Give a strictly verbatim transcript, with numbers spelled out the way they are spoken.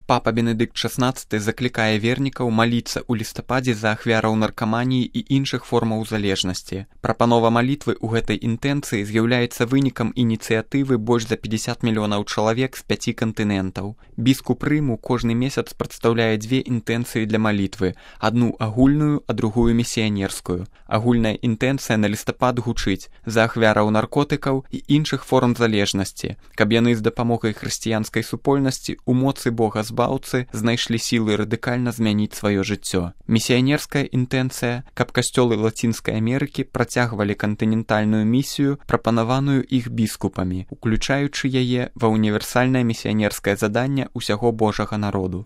Папа Бенедыкт шаснаццаты заклікае вернікаў маліцца ў лістападзе за ахвяраў наркаманіі і іншых формаў залежнасці. Прапанова малітвы ў гэтай інтэнцыі з'яўляецца вынікам ініцыятывы больш за пятьдесят мільёнаў чалавек з пяці кантынентаў. Біскуп Рыму кожны месяц прадстаўляе дзве інтэнцыі для малітвы, адну агульную, а другую місіянерскую. Агульная інтэнцыя на лістапад гучыць за ахвяраў наркотыкаў і іншых форм залежнасці, каб яны з дапамогай хрысціянскай супольнасці у моцы Бога збаўцы знайшлі сілы радыкальна змяніць сваё жыццё. Місіянерская інтэнцыя, каб касцёлы Лацінскай Амерыкі працягвалі кантынентальную місію, прапанаваную іх біскупамі, уключаючы яе ва універсальнае місіянерскае заданне ўсяго Божага народу.